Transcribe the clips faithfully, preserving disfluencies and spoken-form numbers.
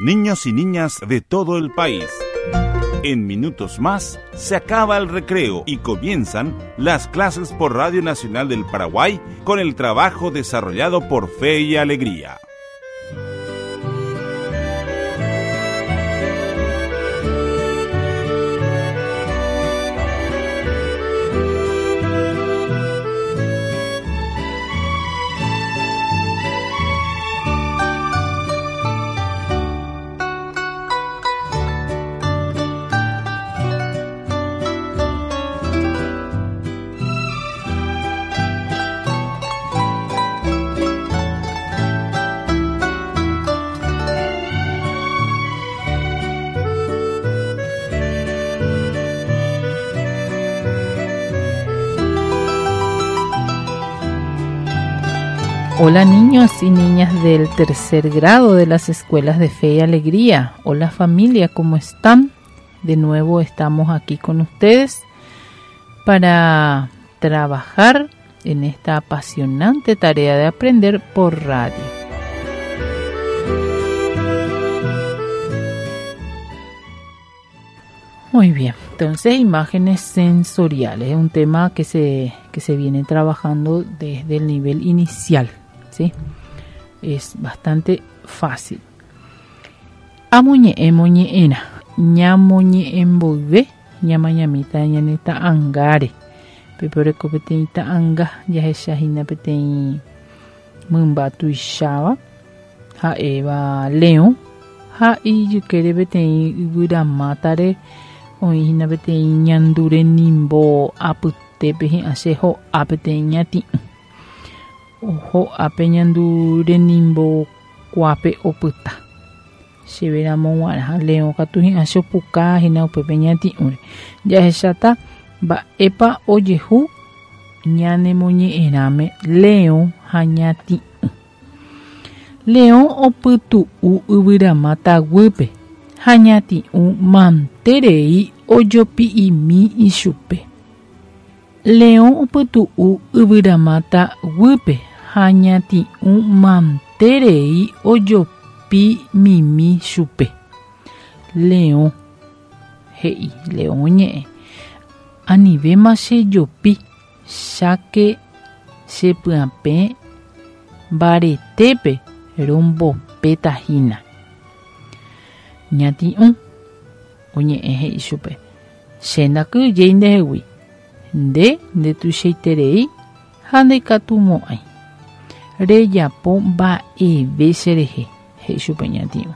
Niños y niñas de todo el país. En minutos más se acaba el recreo y comienzan las clases por Radio Nacional del Paraguay con el trabajo desarrollado por Fe y Alegría. Hola niños y niñas del tercer grado de las escuelas de Fe y Alegría. Hola familia, ¿cómo están? De nuevo estamos aquí con ustedes para trabajar en esta apasionante tarea de aprender por radio. Muy bien, entonces imágenes sensoriales es un tema que se, que se viene trabajando desde el nivel inicial, ¿sí? Es bastante fácil. Amuñe moñeena, ñamoñe emboive, ñamañamita ñaneta angare, peporeko peteĩta anga, jahechahína peteĩ mymba tuicháva, ha'éva leõ, ha ijykére peteĩ yvyramátare oĩhína peteĩ ñandure nimbo apytépe hi'ã che ho'a peteĩ ñati'ũ. Ho'ápe ñandure nimbo kuápe opyta. Chéveramo g̃uarã leõ katu hi'ã che opuka hína upépe ñati'ũre. Jahecháta mba'épa ojehu ñanemoñe'ẽrãme leõ ha ñati'ũ. Leõ opytu'u yvyramáta guýpe ha ñati'ũ manterei ojopi'imi ichupe. Leõ opytu'u yvyramáta guýpe ha ñati'ũ manterei ojopimimi chupe. Leõ he'i, leõ ñe'ẽ, anivéma chejopi, cháke chepyapẽ mbaretépe rombopétahína. Ñati'ũ oñe'ẽ he'i chupe, che ndakyhyjéi ndehegui, nde ndetuichaiterei ha ndaikatumo'ãi. Rejapo mba'eve cherehe, he'i chupe ñati'ũ.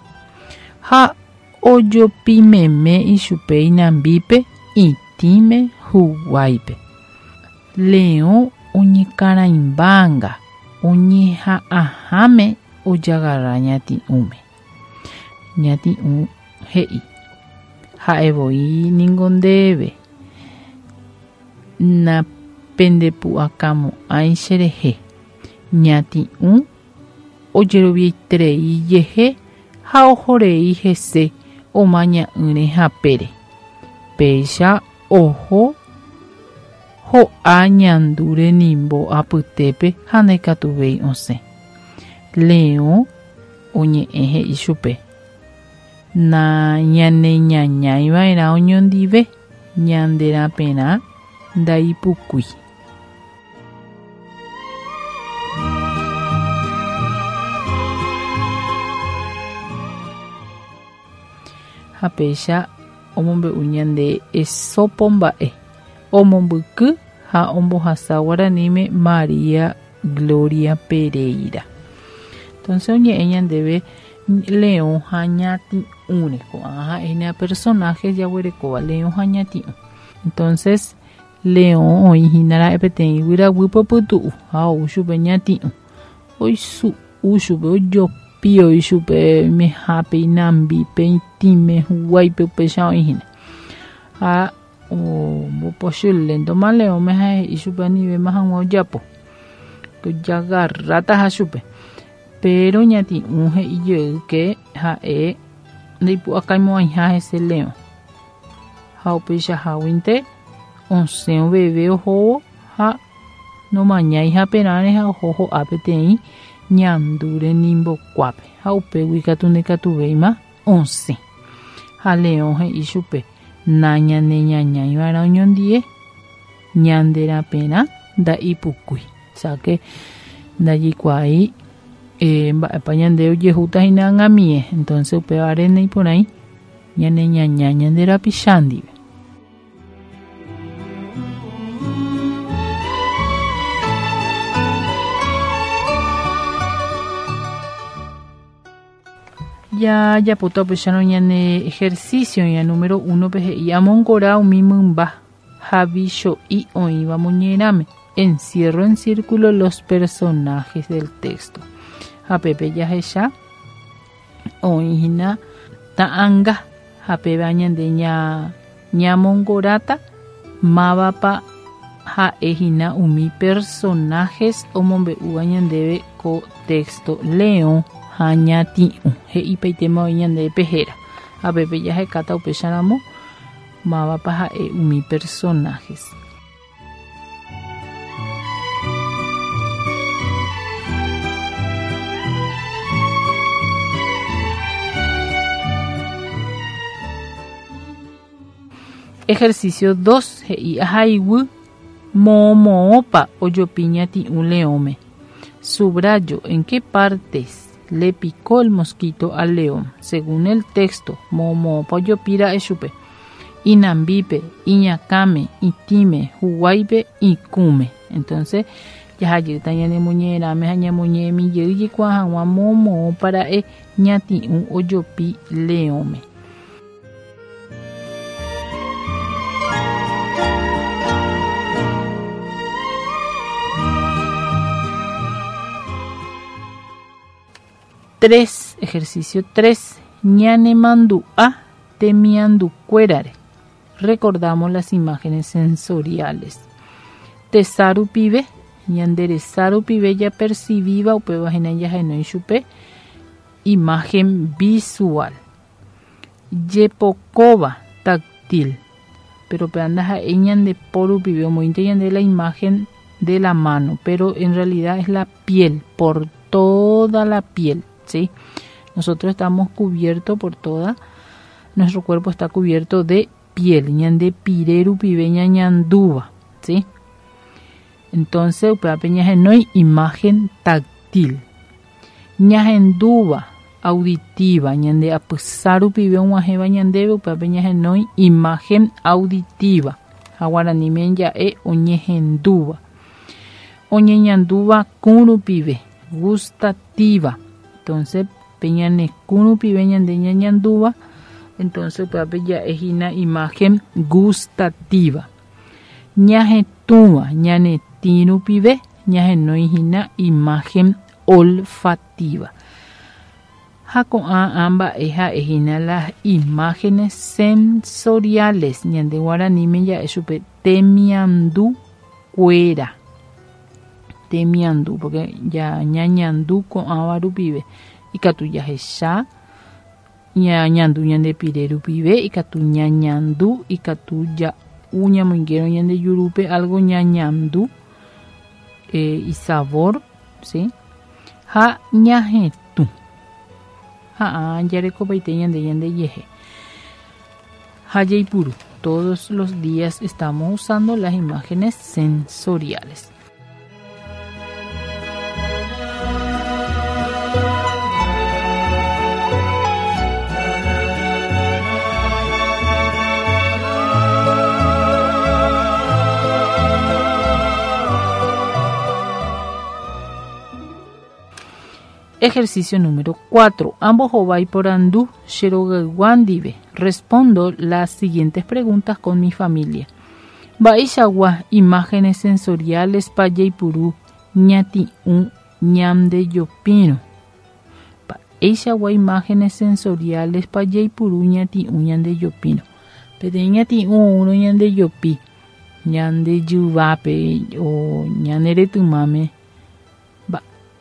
Ha ojopimeme ichupe inambípe, itĩme, huguáipe. Leõ oñekarãimbánga, oñeha'ãháme ojagarra ñati'ũme. Ñati'ũ he'i, ha'evoi ningo ndéve, napendepu'akamo'ãi cherehe. Ñati'ũ ojeroviaiterei jehe ha ohorei hese omaña'ỹre hapére. Péicha oho ho'a ñandure nimbo apytépe ha ndaikatuvéi osẽ. Leõ oñe'ẽ he'i chupe, nañaneñañaiva'erã oñondive, ñanderapérã ndaipukúi. Ha péicha omombe'u ñande Esopo mba'e, omombyky ha ombohasa guaraníme María Gloria Pereira. Entonces oñe'ẽ ñandéve leõ ha ñati'ũre, ko'ág̃a ha'éna personaje jaguerekóva leõ ha ñati'ũ. Entonces leõ oĩhína ra'e peteĩ yvyraguýpe opytu'u ha ou chupe ñati'ũ. Oisu'u chupe, ojopi oĩ chupe oimehápe, inambípe, itĩme, huguáipe upéicha oĩhína. Ha ombopochyléntoma leõme ha he'i chupe anivéma hag̃ua ojapo, ojagarrátaha chupe. Pero ñati'ũ he'i jey ke ha'e ndaipu'akaimo'ãiha hese leõ. Ha upeichaháguinte osẽ oveve ohóvo ha nomañái haperãre ha oho ho'a peteĩ ñandure nimbokuápe ha upégui katu ndikatuvéima osẽ. Ha leõ he'i chupe nañaneñañaiva'erã oñondie ñanderaperã nda'ipukúi. Osea ndajaikuaái eh, mba'épa ñande ojehúta hína ag̃amie. Entonces upévare naiporãi ñaneñaña ñande rapicha ndive. Ya japota upéicharõ ñane ejercicio ya número uno pe he'i amongora umi mymba ha vicho'i oĩva moñerãme. Encierro en círculo los personajes del texto. Ha pépe jahecha oĩhína ta'anga ha péva ñande ña ñamongoráta mávapa ha'ehína umi personajes omombe'úva ñandéve ko texto leõ ha ñati'ũ. He'ipaitéma oĩ ñandéve héra. Ha pépe jahekáta upéicharamo mávapa ha'e umi personajes. Ejercicio dos. He'i ahaiguy moõmoõpa ojopi ñati'ũ leõme. Subrayo en qué partes le picó el mosquito al león. Según el texto, moõmoõpa ojopíra'e chupe. Inambípe, iñakãme, itĩme, huguáipe, ikũme. Entonces, jahajýta ñanemoñe'ẽrãme ha ñamoñe'ẽmi jey jaikuaa hag̃ua moõmoõpara'e ñati'ũ ojopi leõme. Tres, ejercicio tres, ñanemandu'a temiandukuérare. Recordamos las imágenes sensoriales. Tesa rupive, ñande resa rupive japercibíva upéva hína jahenói chupe imagen visual. Jepokóva táctil. Pero pe ndaha'éi ñande po rupive omoĩnte ñande la imagen de la mano, pero en realidad es la piel, por toda la piel, ¿sí? Nosotros estamos cubiertos por toda, nuestro cuerpo está cubierto de piel, ñande pire rupive ñañandúva, ¿sí? Entonces, upévape ñahenói imagen táctil. Ñahendúva auditiva, ñande apysa rupive og̃uahẽva ñandéve upévape ñahenói imagen auditiva. Ha guaraníme ja'e oñehendúva. Oñeñandúva kũ rupive, gustativa. Entonces, pe ñane kũ rupive ñande ñañandúva, entonces upévape ja'ehína imagen gustativa. Ñahetũva ñane tĩ rupive ñahenóihína imagen olfativa. Ha ko'ã mba'e ha'ehína las imágenes sensoriales. Ñande guaraníme ja'e chupe temiandukuéra. Temiandu, porque ya ñañandu ko'ãva rupive. Ikatu jahecha ñañandu ñande pire rupive, ikatu ñañandu, ikatu ja'u ñamoingérõ ñande jurúpe algo ñañandu eh, y sabor, ¿sí? Ha ñahetũ. Ha jarekopaite ñande ñande jehe. Ha jaipuru. Todos los días estamos usando las imágenes sensoriales. Ejercicio número cuatro. Ambohovái porandu che rogaygua ndive. Respondo las siguientes preguntas con mi familia. Mba'eichagua imágenes sensoriales pa jaipuru ñati'ũ ñandejopírõ. Mba'eichagua imágenes sensoriales pa jaipuru ñati'ũ ñandejopírõ. Peteĩ ñati'ũ oúrõ ñandejopi ñandejyvápe o ñaneretymáme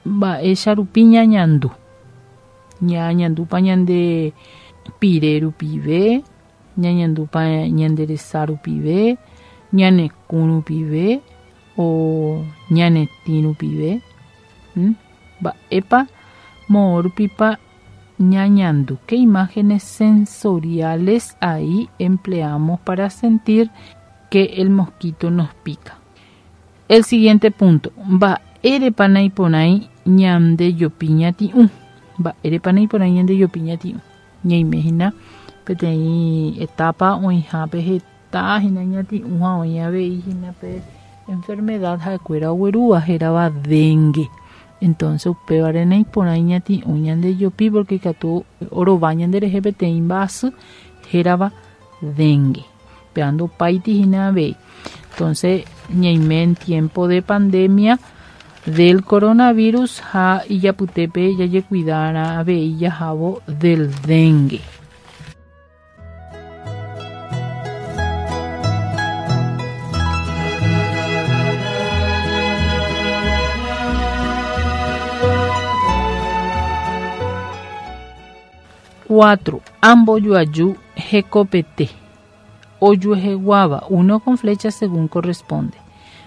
mba'éicha rupi ñañandu. Ñañandúpa ñande pire rupive, ñañandúpa ñande resa rupive, ñane kũ rupive o ñane tĩ rupive. Mba'épa moõ rupipa ñañandu? ¿Qué imágenes sensoriales ahí empleamos para sentir que el mosquito nos pica? El siguiente punto, mba'érepa naiporãi ñandejopi ñati'ũ. Mba'érepa naiporãi ñandejopi ñati'ũ. Ñaimehína peteĩ etapa oĩhápe heta hína ñati'ũ ha oĩ avei hína pe enfermedad ha'ekuéra oguerúva hérava dengue. Entonces upévare naiporãi ñati'ũ ñandejopi porque ikatu orova ñanderehe peteĩ mba'asy hérava dengue. Péa ndopáiti hína avei. Entonces ñaime en tiempo de pandemia del coronavirus ha ijapytépe jajekuidárã avei jahávo del dengue. Cuatro. Ambojoaju hekopete. Ojueheguáva, uno con flecha según corresponde.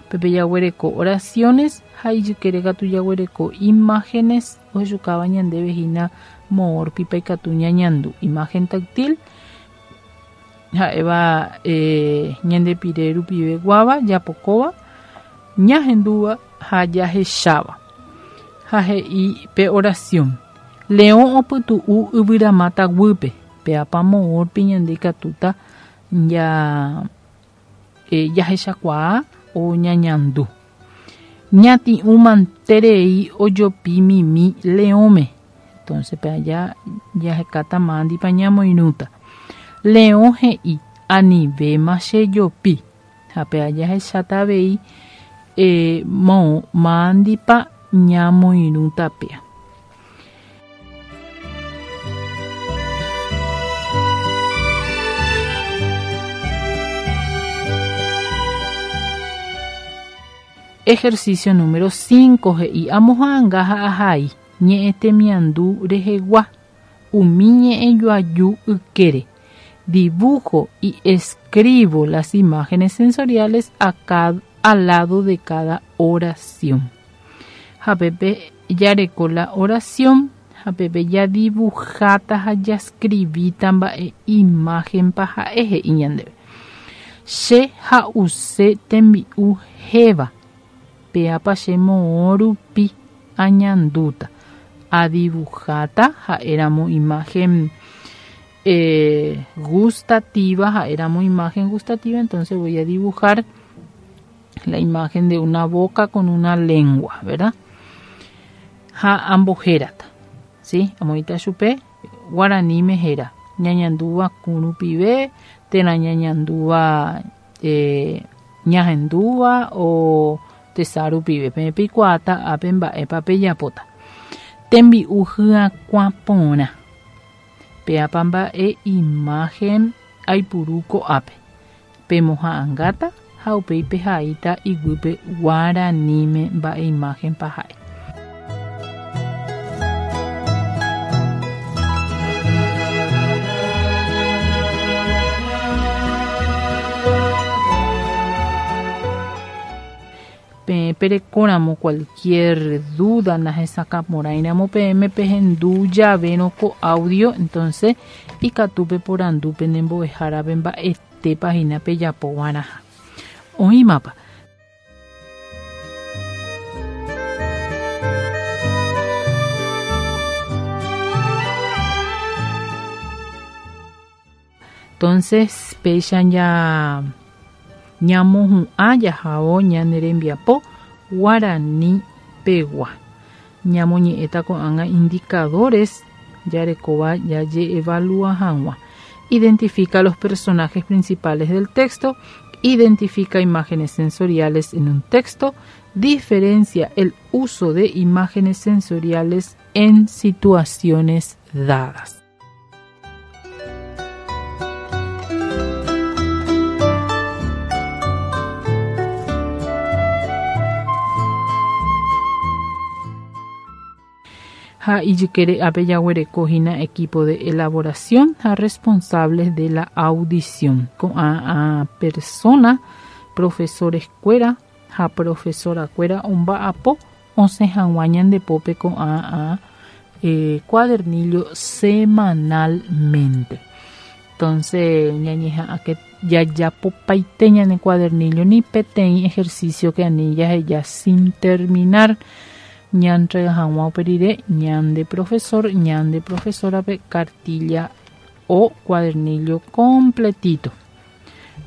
Pepe jaguereko oraciones ha ijykére katu jaguereko imágenes ohechukáva ñandéve hína moõrpipa ikatu ñañandu. Imagen táctil ha'éva eh, ñandepire rupiveguáva, japokóva, ñahendúva ha jahecháva. Ha he'i pe oración. Leõ opytu'u yvyramáta guýpe. Péapa moõrpi ñande ikatúta ya eh, jahechakuaa o ñañandu. Ñati'ũ manterei ojopi mimi leõme. Entonces pe allá jahekáta mándipa ñamoirũta. Leõ he'i anivéma chejopi. Ha pe jahecháta avei eh, moõ mándipa ñamoirũta péa. Ejercicio número cinco, he'i amoha'ãnga ha ahai ñe'ẽtemiandu rehegua umi ñe'ẽjoaju ykére. Dibujo y escribo las imágenes sensoriales a cada, al lado de cada oración. Ha pépe jareko la oración, ha pépe jadibujáta ha jascribíta mba'e imagen pa ha'e he'i ñandéve. Che ha'use tembi'u héva. Péapa che moõ rupi añandúta. Adibujáta ha'éramo imagen eh, gustativa, ha'éramo imagen gustativa, entonces voy a dibujar la imagen de una boca con una lengua, ¿verdad? Ha ambohérata, ¿sí? Amoĩta chupe guaraníme héra. Ñañandúva kũ rupive, térã ñañandúva eh, ñahendúva o tesa rupive. Peẽ peikuaáta ápe mba'épa pejapóta. Tembi'u hyakuã porã. Péapa mba'e imagen aipuru ko'ápe. Pemoha'ãngáta ha upéi pehaíta iguýpe guaraníme mba'e imagen pa ha'e. Peẽ perekóramo cualquier duda nahesakãporãiramo peẽme pehendu javérõ ko audio, entonces ikatu peporandu penembo'ehárape mba'etépa hína pejapova'erãha. Oĩmapa. Entonces péicha ña ñamohu'ã jahávo ñane rembiapo guarani pegua. Ñamoñe'ẽta ko'ág̃a indicadores jarekóva jajeevalúa hag̃ua. Identifica los personajes principales del texto, identifica imágenes sensoriales en un texto, diferencia el uso de imágenes sensoriales en situaciones dadas. Ha ijykére ápe jaguereko hína equipo de elaboración ha responsables de la audición. Ko'ã a persona, profesores kuéra ha profesora kuéra omba'apo osẽ hag̃ua ñandepópe ko'ã a eh, cuadernillo semanalmente. Entonces, ñañeha'ã que jajapopaite ñane cuadernillo ni peteĩ ejercicio que anillas ya sin terminar ñantrega hag̃ua uperire ñande profesor, ñande profesora pe cartilla o cuadernillo completito.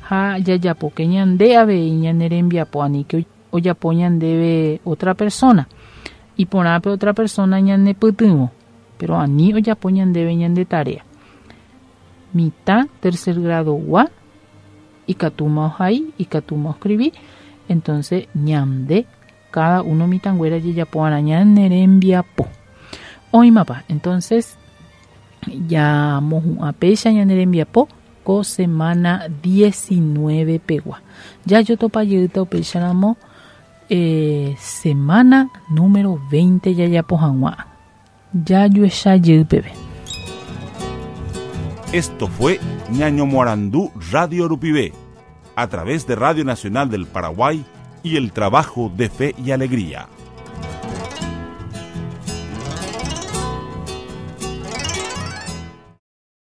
Ha jajapoke ñande avei ñane rembiapo ani que ojapo ñandéve otra persona iporãpe otra persona ñane pytyvõ pero ani ojapo ñandéve ñande tarea. Mitã tercer grado gua ikatúma ohai ikatúma escribí entonces ñande cada uno mitãnguéra jajapo'arã ñane rembiapo. Oĩmapa entonces ya mohu'ã péicha ñane rembiapo ko semana diecinueve pegua. Ya jotopajýta upéicharamo eh, semana número veinte jajapo hag̃ua. Jajuecha peve. Esto fue Ñañomoarandú Radio Rupivé, a través de Radio Nacional del Paraguay y el trabajo de Fe y Alegría.